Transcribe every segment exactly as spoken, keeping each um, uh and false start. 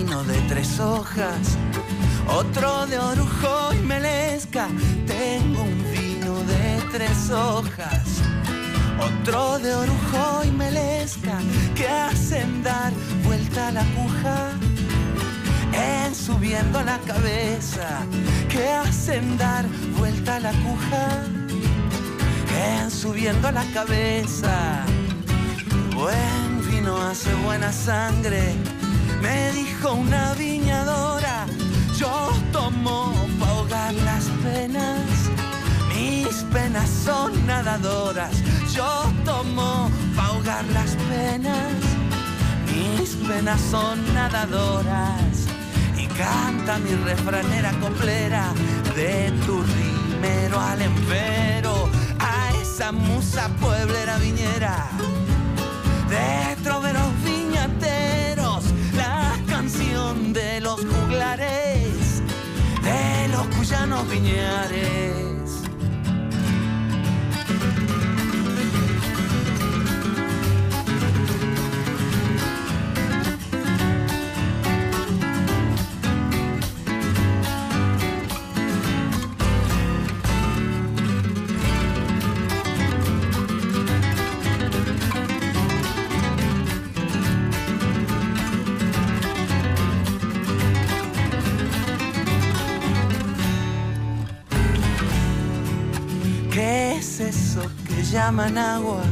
vino de tres hojas, otro de orujo y melesca. Tengo un vino de tres hojas, otro de orujo y melesca, que hacen dar vuelta a la aguja en subiendo la cabeza, que hacen dar vuelta a la aguja en subiendo la cabeza. Buen vino hace buena sangre, me dijo una viñadora. Yo tomo pa' ahogar las penas, mis penas son nadadoras. Yo tomo pa' ahogar las penas, mis penas son nadadoras. Y canta mi refranera coplera, de tu rimero al empero, a esa musa pueblera viñera, de troveros viñateros, la canción de los juglares, de los cuyanos viñares. ¿Qué es eso que llaman agua?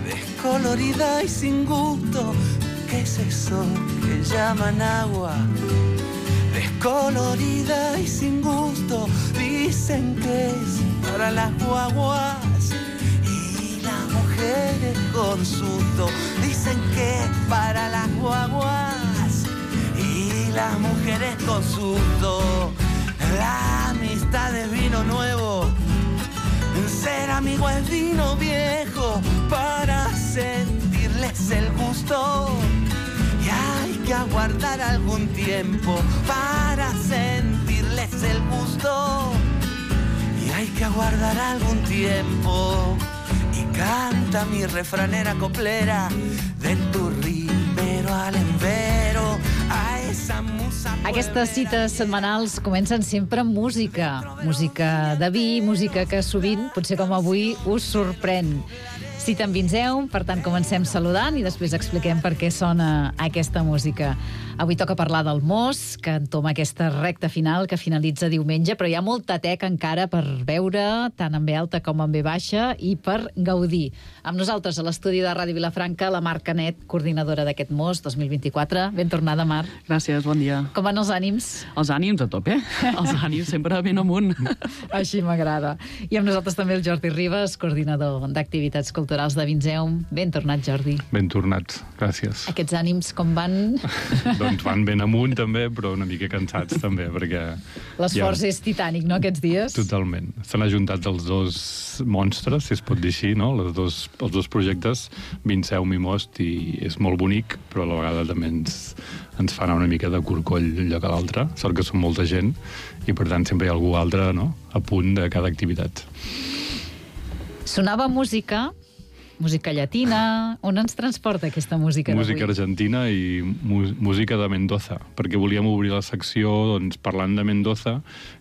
Descolorida y sin gusto. ¿Qué es eso que llaman agua? Descolorida y sin gusto. Dicen que es para las guaguas y las mujeres con susto. Dicen que es para las guaguas y las mujeres con susto. La amistad es vino nuevo, ser amigo es vino viejo, para sentirles el gusto. Y hay que aguardar algún tiempo para sentirles el gusto. Y hay que aguardar algún tiempo. Y canta mi refranera coplera, de tu rimero al empero, a esa musa. Aquestes cites setmanals comencen sempre amb música. Música de vi, música que sovint, potser com avui, us sorprèn. Cita en Vinzeu, per tant comencem saludant i després expliquem per què sona aquesta música. Avui toca parlar del Mos, que entoma aquesta recta final que finalitza diumenge, però hi ha molta teca encara per veure, tant en ve alta com en ve baixa, i per gaudir. Amb nosaltres a l'estudi de Ràdio Vilafranca, la Mar Canet, coordinadora d'aquest Mos dos mil vint-i-quatre. Ben tornada, Mar. Gràcies, bon dia. Com van els ànims? Els ànims a tope. Els ànims sempre ben amunt. Així m'agrada. I amb nosaltres també el Jordi Ribas, coordinador d'activitats culturals de Vinzeum. Ben tornat, Jordi. Ben tornats, gràcies. Aquests ànims com van? Doncs van ben amunt també, però una mica cansats també, perquè... L'esforç ja... és titànic, no, aquests dies? Totalment. S'han ajuntat els dos monstres, si es pot dir així, no? Les dos, els dos projectes, Vinzeum i Most, i és molt bonic, però a la vegada també ens, ens fa anar una mica de corcoll un lloc a l'altre. Sort que som molta gent, i per tant sempre hi ha algú altre, no?, a punt de cada activitat. Sonava música... Música llatina... On ens transporta aquesta música d'avui? Música argentina i música de Mendoza, perquè volíem obrir la secció doncs, parlant de Mendoza,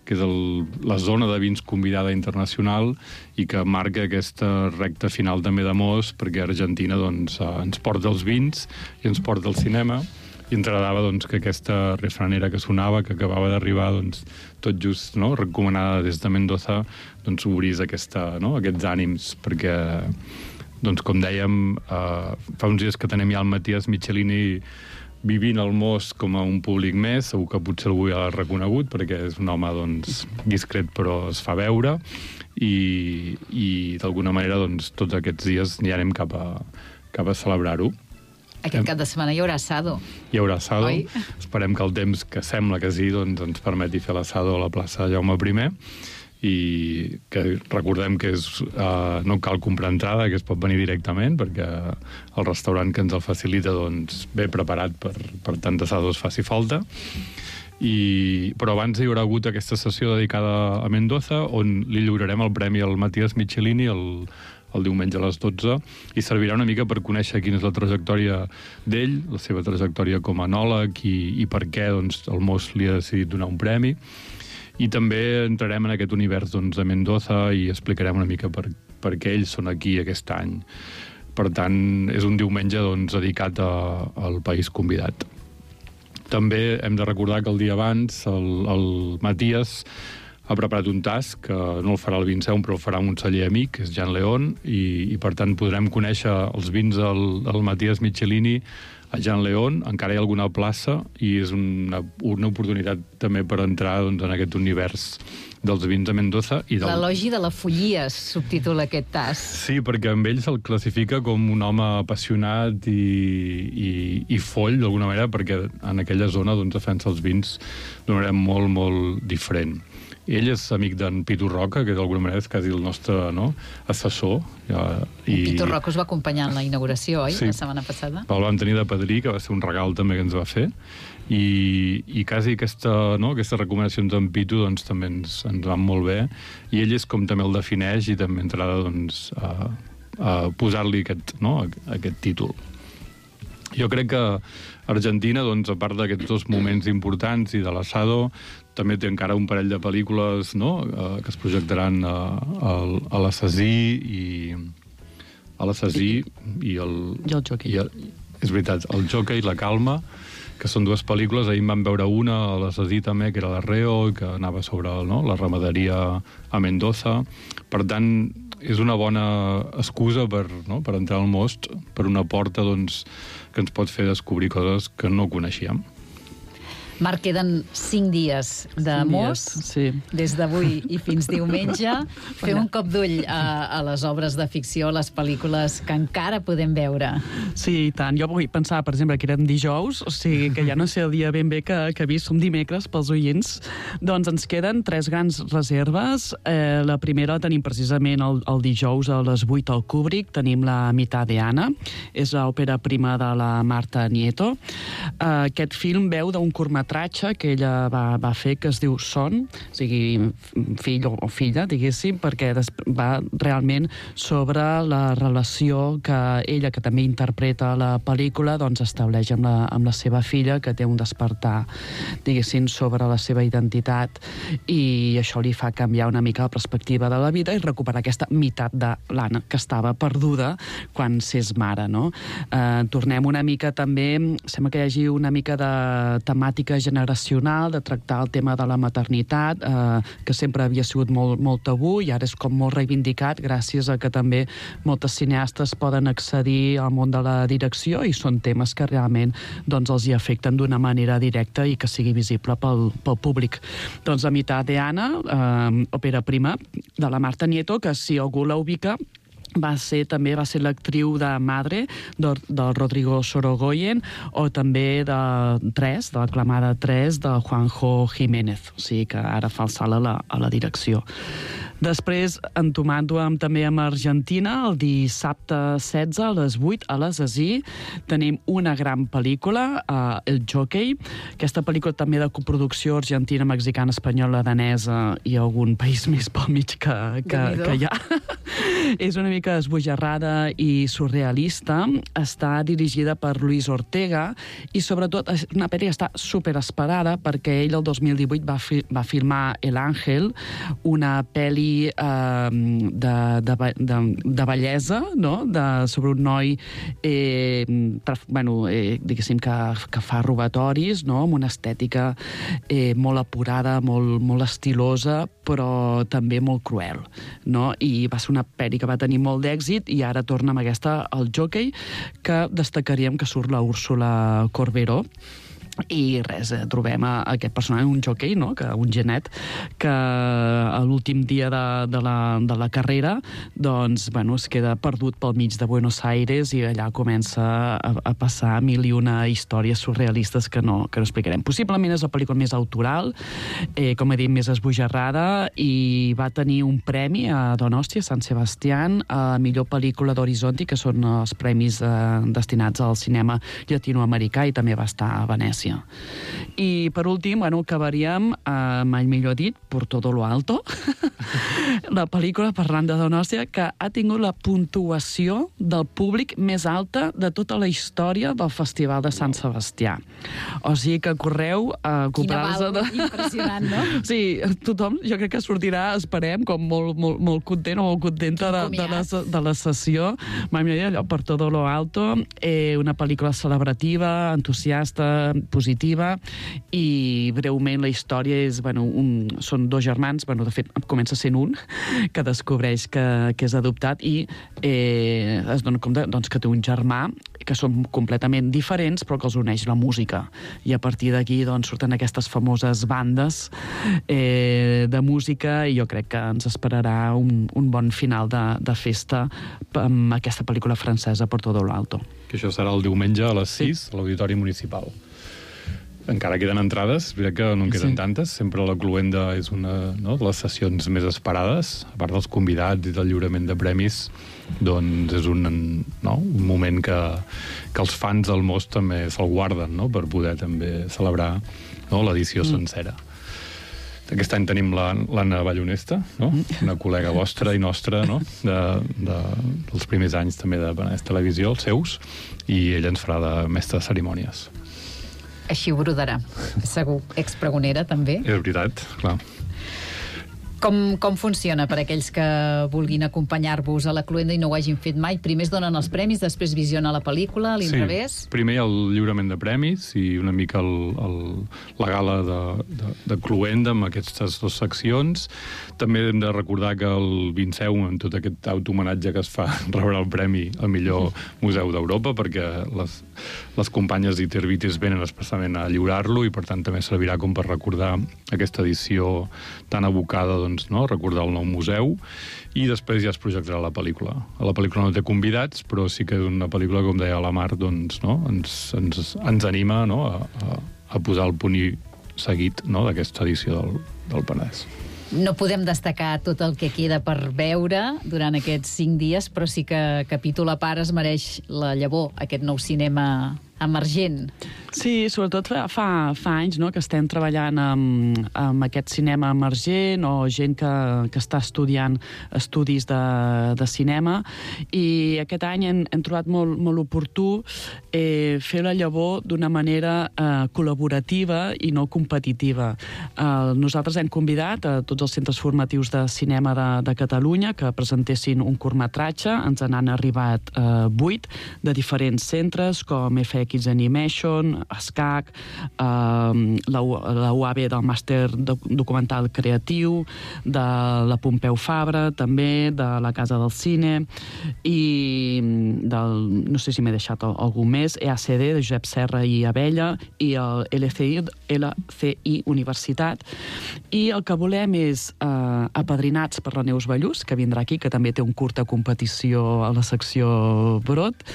que és el, la zona de vins convidada internacional i que marca aquesta recta final també de Mos, perquè Argentina doncs, ens porta els vins i ens porta el cinema, i ens agradava doncs, que aquesta refranera que sonava, que acabava d'arribar doncs, tot just, no?, recomanada des de Mendoza, doncs obrís aquesta, no?, aquests ànims, perquè... Doncs, com dèiem, eh, fa uns dies que tenem ja el Matías Michelini vivint al Mos com a un públic més, segur que potser algú ja l'ha reconegut, perquè és un home doncs, discret però es fa veure, i, i d'alguna manera doncs, tots aquests dies ja anem cap a, cap a celebrar-ho. Aquest cap de setmana hi haurà assado. Hi haurà assado. Oi? Esperem que el temps, que sembla que sí, doncs, ens permeti fer l'assado a la plaça Jaume primer, i que recordem que és, uh, no cal comprar entrada, que es pot venir directament, perquè el restaurant que ens el facilita doncs, ve preparat per, per tant assados faci falta. I, però abans hi haurà hagut aquesta sessió dedicada a Mendoza, on li lliurarem el premi al Matías Michelini, el, el diumenge a les dotze, i servirà una mica per conèixer quina és la trajectòria d'ell, la seva trajectòria com a enòleg i, i per què doncs, el Mos li ha decidit donar un premi. I també entrarem en aquest univers doncs, de Mendoza i explicarem una mica per, per què ells són aquí aquest any. Per tant, és un diumenge doncs, dedicat a, al país convidat. També hem de recordar que el dia abans el, el Matías ha preparat un tas que no el farà el Vinceum, però el farà un celler amic, que és Jan León, i, i per tant podrem conèixer els vins del, del Matías Michelini a Jan León. Encara hi ha alguna plaça i és una, una oportunitat també per entrar doncs, en aquest univers dels vins de Mendoza. I del... L'elogi de la follia subtitula aquest tas. Sí, perquè amb ell se'l classifica com un home apassionat i, i, i foll, d'alguna manera, perquè en aquella zona doncs, defensa els vins d'una manera molt, molt diferent. Ell és amic d'en Pitu Roca, que d'alguna manera és quasi el nostre no, assessor. Ja, i... Pitu Roca us va acompanyar en la inauguració, oi? Sí. La setmana passada. El vam tenir de padrí, que va ser un regal també que ens va fer. I, i quasi aquesta, no, aquestes recomanacions d'en Pitu doncs, també ens, ens van molt bé. I ell és com també el defineix i també entrarà doncs, a, a posar-li aquest, no, aquest títol. Jo crec que Argentina, doncs, a part d'aquests dos moments importants i de l'Asado, també té encara un parell de pel·lícules no? eh, que es projectaran a, a, a l'Assasí i a l'Assasí i el... I el Jockey. I el, és veritat, el Jockey i la Calma, que són dues pel·lícules. Ahir en vam veure una, a l'Assasí també, que era l'Arreo, que anava sobre no? la ramaderia a Mendoza. Per tant, és una bona excusa per, no? per entrar al Most, per una porta doncs, que ens pot fer descobrir coses que no coneixíem. Marc, queden cinc dies de cinc Most, dies, sí. Des d'avui i fins diumenge. Feu un cop d'ull a, a les obres de ficció, a les pel·lícules que encara podem veure. Sí, i tant. Jo vull pensar, per exemple, que eren dijous, o sigui, que ja no sé el dia ben bé que, que he vist, som dimecres pels oients. Doncs ens queden tres grans reserves. Eh, la primera la tenim precisament el, el dijous a les vuit al Kubrick. Tenim La mitad de Ana. És l'òpera prima de la Marta Nieto. Eh, aquest film veu d'un curtmetratge que ella va, va fer, que es diu Son, o sigui, fill o filla, diguéssim, perquè va realment sobre la relació que ella, que també interpreta la pel·lícula, doncs estableix amb la, amb la seva filla, que té un despertar, diguéssim, sobre la seva identitat, i això li fa canviar una mica la perspectiva de la vida i recuperar aquesta meitat de l'Anna, que estava perduda quan s'és mare, no? Eh, tornem una mica també, sembla que hi hagi una mica de temàtica generacional, de tractar el tema de la maternitat, eh, que sempre havia sigut molt, molt tabú i ara és com molt reivindicat gràcies a que també moltes cineastes poden accedir al món de la direcció i són temes que realment doncs, els hi afecten d'una manera directa i que sigui visible pel, pel públic. Doncs La mitad de Ana, eh, òpera prima de la Marta Nieto, que si algú la ubica, va ser, també va ser l'actriu de Madre, del, del Rodrigo Sorogoyen, o també de Tres, de l'aclamada Tres, de Juanjo Jiménez. O sigui que ara fa el salt a la, a la direcció. Després, entomant-ho amb, també amb Argentina, el dissabte setze a les vuit a l'Assasí, tenim una gran pel·lícula, uh, El Jockey. Aquesta pel·lícula també de coproducció argentina, mexicana, espanyola, danesa i algun país més pel mig que, que, que hi ha. És una mica esbojarrada i surrealista. Està dirigida per Luis Ortega i, sobretot, és una pel·li que està superesperada perquè ell el dos mil divuit va, fi, va filmar El Ángel, una pel·li eh, de, de, de, de bellesa, no? De, sobre un noi eh, traf, bueno, eh, diguéssim que, que fa robatoris, no? Amb una estètica eh, molt apurada, molt, molt estilosa, però també molt cruel, no? I va ser una pel·li que va tenir molt d'èxit i ara torna amb aquesta, El Jockey, que destacaríem que surt la Úrsula Corberó. I res, eh, trobem a, a aquest personatge, un jockey, no? que, un genet, que a l'últim dia de, de, la, de la carrera doncs, bueno, es queda perdut pel mig de Buenos Aires i allà comença a, a passar mil i una històries surrealistes que no, que no explicarem. Possiblement és la pel·lícula més autoral, eh, com he dit, més esbojarrada, i va tenir un premi a Donosti, a Sant Sebastián, a millor pel·lícula d'Horizonti, que són els premis eh, destinats al cinema llatinoamericà, i també va estar a Venècia. València. I, per últim, bueno, acabaríem, eh, mai millor dit, Por todo lo alto, la pel·lícula parlant de Donòstia, que ha tingut la puntuació del públic més alta de tota la història del Festival de Sant Sebastià. O sigui que correu a comprar-los... Quina val, impressionant, no? Sí, tothom, jo crec que sortirà, esperem, com molt, molt, molt content o molt contenta de, de, la, de la sessió. Mai millor dit, allò, Por todo lo alto, eh, una pel·lícula celebrativa, entusiasta, positiva, i breument la història és, bueno, un, són dos germans, bueno, de fet, comença sent un, que descobreix que, que és adoptat i eh, es dona compte doncs, que té un germà, que són completament diferents, però que els uneix la música. I a partir d'aquí doncs, surten aquestes famoses bandes eh, de música, i jo crec que ens esperarà un, un bon final de, de festa amb aquesta pel·lícula francesa Por todo lo alto. Que això serà el diumenge a les sis, a l'Auditori Municipal. Encara queden entrades, crec que no en queden sí. tantes. Sempre la Cluenda és una, no, de les sessions més esperades, a part dels convidats i del lliurament de premis, doncs és un, no, un moment que, que els fans del Mos també se'l guarden, no?, per poder també celebrar, no, l'edició mm. sencera. Aquest any tenim l'Anna Ballonesta, no? Una col·lega vostra i nostra, no? de, de, dels primers anys també de Penedès Televisió, els seus, i ella ens farà de mestre de cerimònies. Així ho brodarà, segur. Expregonera, també. És veritat, clar. Com, com funciona per aquells que vulguin acompanyar-vos a la Cluenda i no ho hagin fet mai? Primer es donen els premis, després visiona la pel·lícula, a l'inrevés? Sí, primer el lliurament de premis i una mica el, el, la gala de, de, de Cluenda amb aquestes dues seccions. També hem de recordar que el Vinceu, amb tot aquest autohomenatge que es fa, rebrà el premi al millor museu d'Europa, perquè les, les companyes d'Itervitis venen especialment a lliurar-lo i per tant també servirà com per recordar aquesta edició tan abocada, doncs, no? Recordar el nou museu, i després ja es projectarà la pel·lícula. La pel·lícula no té convidats, però sí que és una pel·lícula, com deia la Mar, doncs, no? ens, ens, ens anima, no? a, a, a posar el punt i seguit, no? d'aquesta edició del, del Penedès. No podem destacar tot el que queda per veure durant aquests cinc dies, però sí que capítol a part es mereix la llavor, aquest nou cinema emergent. Sí, sobretot fa, fa, fa anys, no?, que estem treballant amb, amb aquest cinema emergent o gent que, que està estudiant estudis de, de cinema, i aquest any hem, hem trobat molt, molt oportú eh, fer la llavor d'una manera eh, col·laborativa i no competitiva. Eh, nosaltres hem convidat a tots els centres formatius de cinema de, de Catalunya que presentessin un curtmetratge. Ens n'han arribat eh, vuit de diferents centres, com F X Animation, ESCAC, eh, la, la U A B del Màster Documental Creatiu, de la Pompeu Fabra, també, de la Casa del Cine, i del, no sé si m'he deixat algú més, E A C D, de Josep Serra i Abella, i el L C I, L C I Universitat. I el que volem és eh, apadrinats per la Neus Ballús, que vindrà aquí, que també té un curta competició a la secció Brot.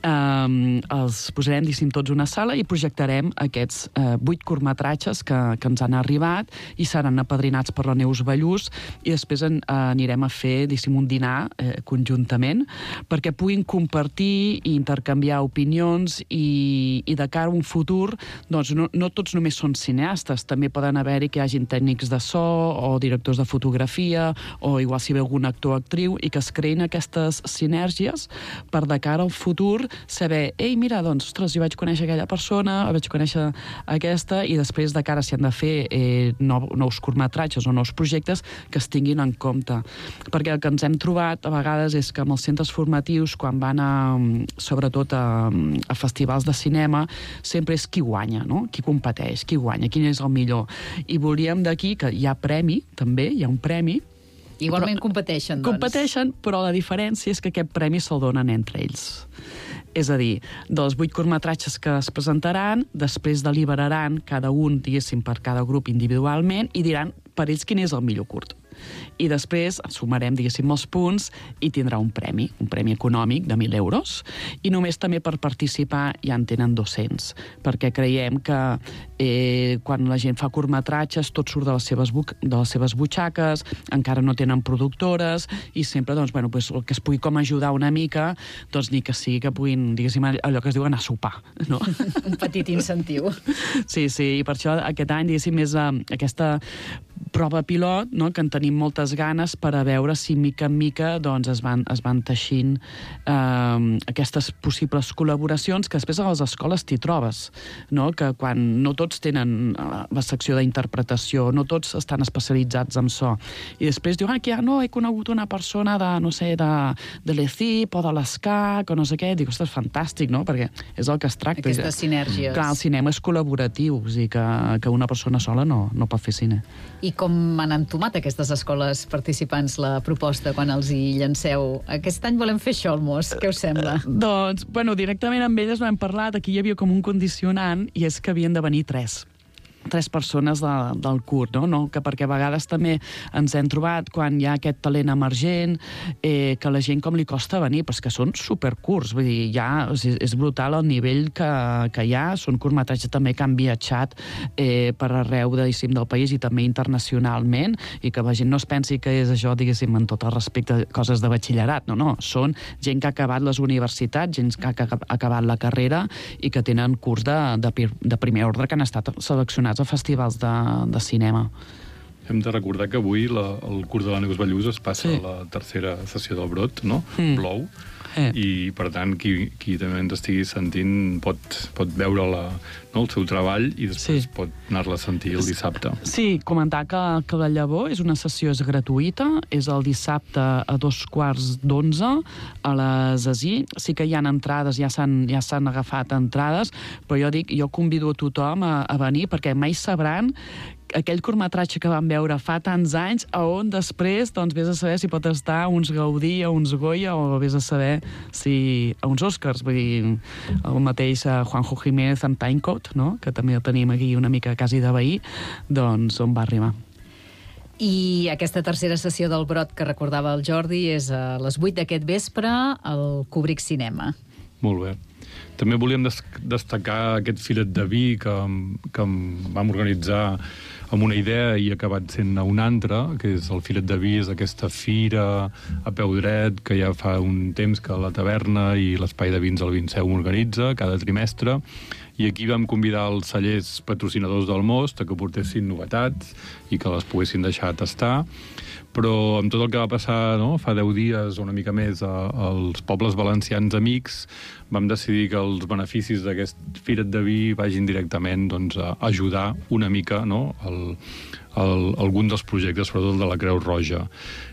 Eh, els posarem, diguéssim, tots una sala i projectarem aquests eh, vuit curtmetratges que, que ens han arribat i seran apadrinats per la Neus Ballús, i després en, eh, anirem a fer, diguéssim, un dinar eh, conjuntament perquè puguin compartir i intercanviar opinions, i, i de cara a un futur, doncs no, no tots només són cineastes, també poden haver-hi que hi hagin tècnics de so o directors de fotografia o igual si ve algun actor o actriu, i que es creïn aquestes sinergies per de cara al futur saber, ei, mira, doncs, ostres, jo vaig conèixer aquella persona, vaig conèixer aquesta, i després de cara si han de fer eh, nou, nous curtmetratges o nous projectes, que es tinguin en compte. Perquè el que ens hem trobat a vegades és que amb els centres formatius, quan van a, sobretot a, a festivals de cinema, sempre és qui guanya, no? Qui competeix, qui guanya, quin és el millor. I volíem d'aquí, que hi ha premi, també, hi ha un premi. Igualment però, competeixen, doncs. Competeixen, però la diferència és que aquest premi se'l donen entre ells. És a dir, dels vuit curtmetratges que es presentaran, després deliberaran cada un, diguéssim, per cada grup individualment, i diran per ells quin és el millor curt. i després sumarem, diguéssim, els punts i tindrà un premi, un premi econòmic de mil euros, i només també per participar ja en tenen dos-cents, perquè creiem que eh, quan la gent fa curtmetratges tot surt de les seves, bu- de les seves butxaques, encara no tenen productores, i sempre doncs, bueno, pues, el que es pugui com ajudar una mica, doncs ni que sigui que puguin, diguéssim, allò que es diu anar a sopar, no? Un petit incentiu. Sí, sí, i per això aquest any, diguéssim, és uh, aquesta prova pilot, no?, que en tenim moltes ganes per a veure si mica en mica doncs, es, van, es van teixint eh, aquestes possibles col·laboracions que després a les escoles t'hi trobes, no?, que quan no tots tenen la secció d'interpretació, no tots estan especialitzats en so, i després diu, ah, que ja no, he conegut una persona de, no sé, de, de l'E C I P o de l'ESCAC o no sé què, dic, ostres, fantàstic, no?, perquè és el que es tracta. Aquestes sinergies. Clar, el cinema és col·laboratiu, o sigui que, que una persona sola no, no pot fer cine. I com han entomat aquestes escoles participants la proposta quan els hi llanceu? Aquest any volem fer Xolmos, què us sembla? Uh, doncs, bueno, directament amb elles no hem parlat, aquí hi havia com un condicionant, i és que havien de venir tres. tres persones de, del curt, no? no? Que perquè a vegades també ens hem trobat quan hi ha aquest talent emergent, eh, que la gent com li costa venir, però és que són supercurts, vull dir, ja és, és brutal el nivell que, que hi ha, són curtmetratges també que han viatjat eh, per arreu, diguéssim, del país i també internacionalment, i que la gent no es pensi que és això, diguéssim, en tot el respecte a coses de batxillerat, no, no, són gent que ha acabat les universitats, gent que ha acabat la carrera i que tenen curs de, de, de primer ordre que han estat seleccionats a festivals de, de cinema. Hem de recordar que avui la, el curs de la Neus Ballús es passa sí. a la tercera sessió del Brot, no? Mm. Blou. Eh. I, per tant, qui, qui també ens estigui sentint pot, pot veure la, no, el seu treball i després sí. pot anar-la a sentir el dissabte. Sí, comentar que, que la Llavor és una sessió és gratuïta, és el dissabte a dos quarts d'onze a les A S I. Sí que hi ha entrades, ja s'han ja s'han agafat entrades, però jo dic, jo convido a tothom a, a venir perquè mai sabran aquell curtmetratge que vam veure fa tants anys, a on després, doncs, vés a saber si pot estar a uns Gaudí, a uns Goya, o vés a saber si a uns Oscars. Vull dir, el mateix Juanjo Jiménez amb Timecode, no?, que també el tenim aquí una mica quasi de veí, doncs on va arribar. I aquesta tercera sessió del Brot que recordava el Jordi és a les vuit d'aquest vespre al Kubrick Cinema. Molt bé. També volíem des destacar aquest filet de vi que, que vam organitzar amb una idea i ha acabat sent una altra, que és el Filet de Vi, és aquesta fira a peu dret que ja fa un temps que la taverna i l'Espai de Vins al Vinseu organitza cada trimestre, i aquí vam convidar els cellers patrocinadors del Most a que portessin novetats i que les poguessin deixar tastar, però amb tot el que va passar, no?, fa deu dies o una mica més a, als pobles valencians amics, vam decidir que els beneficis d'aquest Firet de Vi vagin directament, doncs, a ajudar una mica, no?, el, el, algun dels projectes, sobretot de la Creu Roja.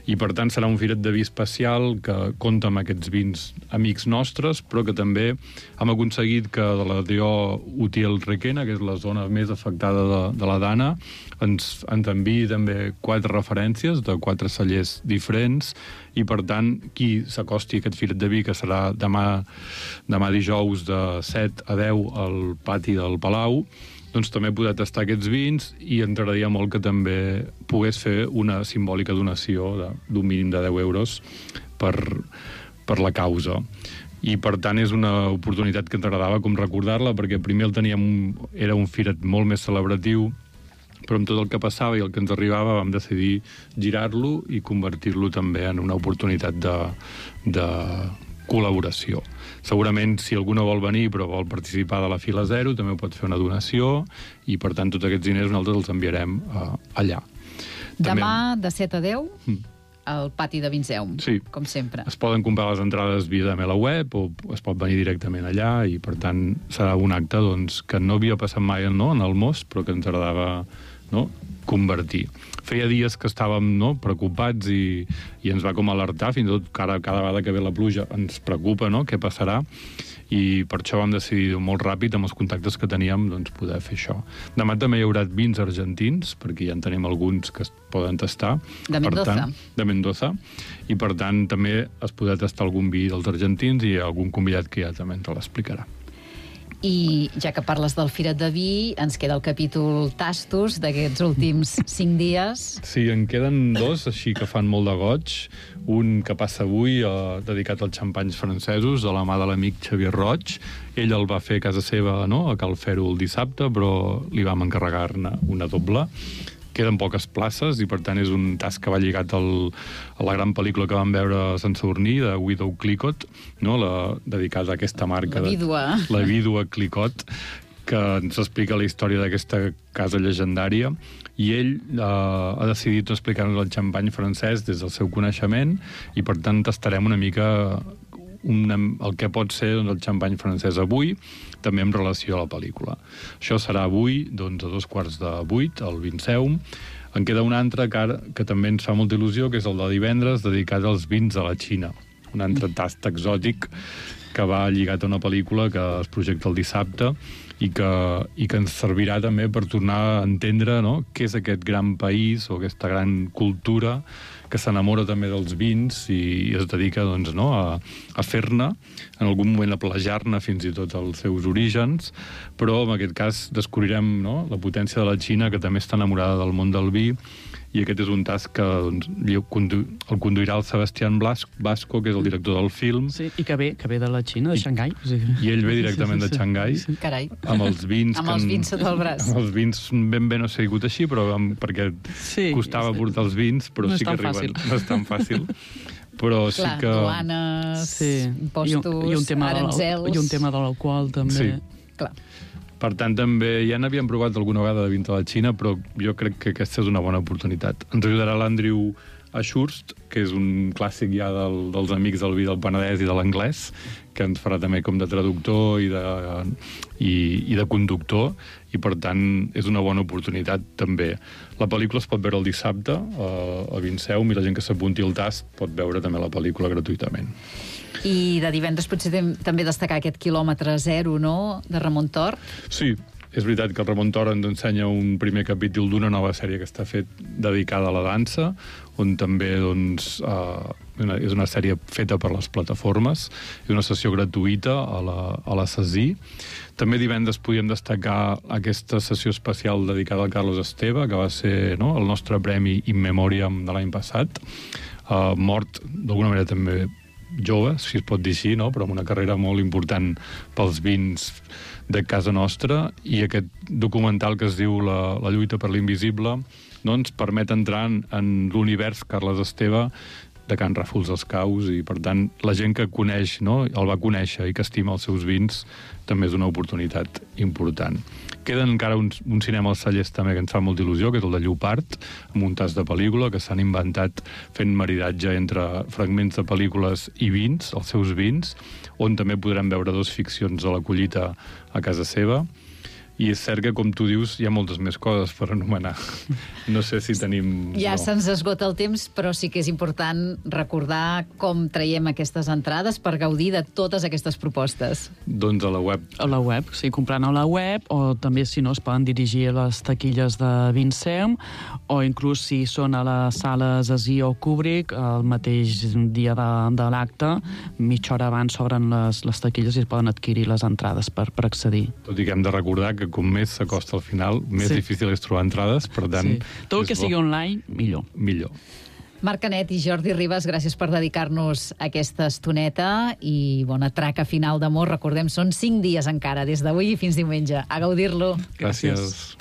I, per tant, serà un Firet de Vi especial que compta amb aquests vins amics nostres, però que també hem aconseguit que de la D O Utiel-Requena, que és la zona més afectada de, de la Dana, ens, ens enviï també quatre referències de quatre cellers diferents, i, per tant, qui s'acosti a aquest Filet de Vi, que serà demà, demà dijous de set a deu al pati del Palau, doncs també poder tastar aquests vins, i ens agradaria molt que també pogués fer una simbòlica donació d'un mínim de deu euros per, per la causa. I, per tant, és una oportunitat que ens agradava com recordar-la, perquè primer el teníem, era un firet molt més celebratiu, però amb tot el que passava i el que ens arribava vam decidir girar-lo i convertir-lo també en una oportunitat de, de col·laboració. Segurament, si algú no vol venir però vol participar de la fila zero, també pot fer una donació, i, per tant, tots aquests diners nosaltres els enviarem uh, allà. Demà, també, de set a deu, mm. al pati de Vinseum, sí. com sempre. Es poden comprar les entrades via de la web o es pot venir directament allà, i, per tant, serà un acte, doncs, que no havia passat mai, no?, en el Most, però que ens agradava, no?, convertir. Feia dies que estàvem, no?, preocupats i, i ens va com alertar, fins i tot cada, cada vegada que ve la pluja ens preocupa, no?, què passarà, i per això vam decidir molt ràpid, amb els contactes que teníem, doncs, poder fer això. Demà també hi haurà vins argentins, perquè ja en tenim alguns que es poden tastar. De Mendoza. Tant, de Mendoza. I, per tant, també es podrà tastar algun vi dels argentins, i algun convidat que ja també ens l'explicarà. I ja que parles del Firet de Vi, ens queda el capítol tastos d'aquests últims cinc dies. Sí, en queden dos, així que fan molt de goig. Un que passa avui, eh, dedicat als xampanys francesos, de la mà de l'amic Xavier Roig. Ell el va fer a casa seva, no?, a Cal Fer-ho el dissabte, però li vam encarregar-ne una doble. Queden poques places i, per tant, és un tas que va lligat al, a la gran pel·lícula que vam veure a Sant Sadurní, de Widow Clicquot, no?, la, dedicada a aquesta marca. La vídua. De, la vídua Clicquot, que ens explica la història d'aquesta casa llegendària. I ell eh, ha decidit explicar-nos el xampany francès des del seu coneixement i, per tant, tastarem una mica una, el que pot ser doncs, el xampany francès avui, també en relació a la pel·lícula. Això serà avui, doncs, a dos quarts de vuit, al Vinceum. En queda un altre que, ara, que també ens fa molta il·lusió, que és el de divendres, dedicat als vins de la Xina. Un altre tast exòtic que va lligat a una pel·lícula que es projecta el dissabte i que, i que ens servirà també per tornar a entendre, no?, què és aquest gran país o aquesta gran cultura que s'enamora també dels vins i es dedica, doncs, no, a, a fer-ne, en algun moment a plagiar-ne fins i tot els seus orígens, però en aquest cas descobrirem, no?, la potència de la Xina, que també està enamorada del món del vi, i aquest és un tas que doncs, el conduirà el Sebastián Blasco, que és el director del film. Sí, i que ve, que ve de la Xina, de Xangai. O sigui... I ell ve directament sí, sí, sí. de Xangai. Sí. Carai. Amb els vins... amb els vins sota el braç. Amb els vins ben bé no s'ha sigut així, però amb, perquè sí, costava sí. portar els vins, però no sí que arriben. Fàcil. No és tan fàcil. Però clar, sí que... duanes, sí. impostos, I un, i un tema aranzels... I un tema de l'alcohol, també. Sí. Clar. Per tant, també ja n'havíem provat alguna vegada de vins de la Xina, però jo crec que aquesta és una bona oportunitat. Ens ajudarà l'Andrew Ashurst, que és un clàssic ja del, dels amics del vi del Penedès i de l'anglès, que ens farà també com de traductor i de, i, i de conductor, i per tant és una bona oportunitat també. La pel·lícula es pot veure el dissabte a, a Vinceum i la gent que s'apunti al tast pot veure també la pel·lícula gratuïtament. I de divendres potser també destacar aquest quilòmetre zero, no?, de Ramon Tort. Sí, és veritat que el Ramon Tort ens ensenya un primer capítol d'una nova sèrie que està fet dedicada a la dansa, on també doncs, eh, una, és una sèrie feta per les plataformes, i una sessió gratuïta a la, a la C E S I. També divendres podíem destacar aquesta sessió especial dedicada al Carlos Esteve, que va ser, no?, el nostre premi In Memoriam de l'any passat, eh, mort d'alguna manera també jove, si es pot dir així, no?, però amb una carrera molt important pels vins de casa nostra, i aquest documental que es diu La, la lluita per l'invisible no ens permet entrar en, en l'univers Carles Esteve de Can Ràfols dels Caus, i per tant la gent que coneix, no?, el va conèixer i que estima els seus vins també és una oportunitat important. Queden encara un, un cinema als cellers també que ens fa molta il·lusió, que és el de Llopart, amb un tas de pel·lícula que s'han inventat fent maridatge entre fragments de pel·lícules i vins, els seus vins, on també podrem veure dos ficcions a la collita a casa seva. I és cert que, com tu dius, hi ha moltes més coses per anomenar. No sé si tenim... Ja no. se'ns esgota el temps, però sí que és important recordar com traiem aquestes entrades per gaudir de totes aquestes propostes. Doncs a la web. A la web, sí, comprant a la web, o també, si no, es poden dirigir a les taquilles de Vinceum, o inclús si són a les sales Así o Kubrick, el mateix dia de, de l'acte, mitja hora abans s'obren les, les taquilles i es poden adquirir les entrades per, per accedir. Tot i que hem de recordar que com més s'acosta al final, més sí. difícil és trobar entrades, per tant... Sí. Tot que sigui online, millor. Millor. Marc Canet i Jordi Ribas, gràcies per dedicar-nos aquesta estoneta i bona traca final d'amor. Recordem, són cinc dies encara, des d'avui fins diumenge. A gaudir-lo. Gràcies. gràcies.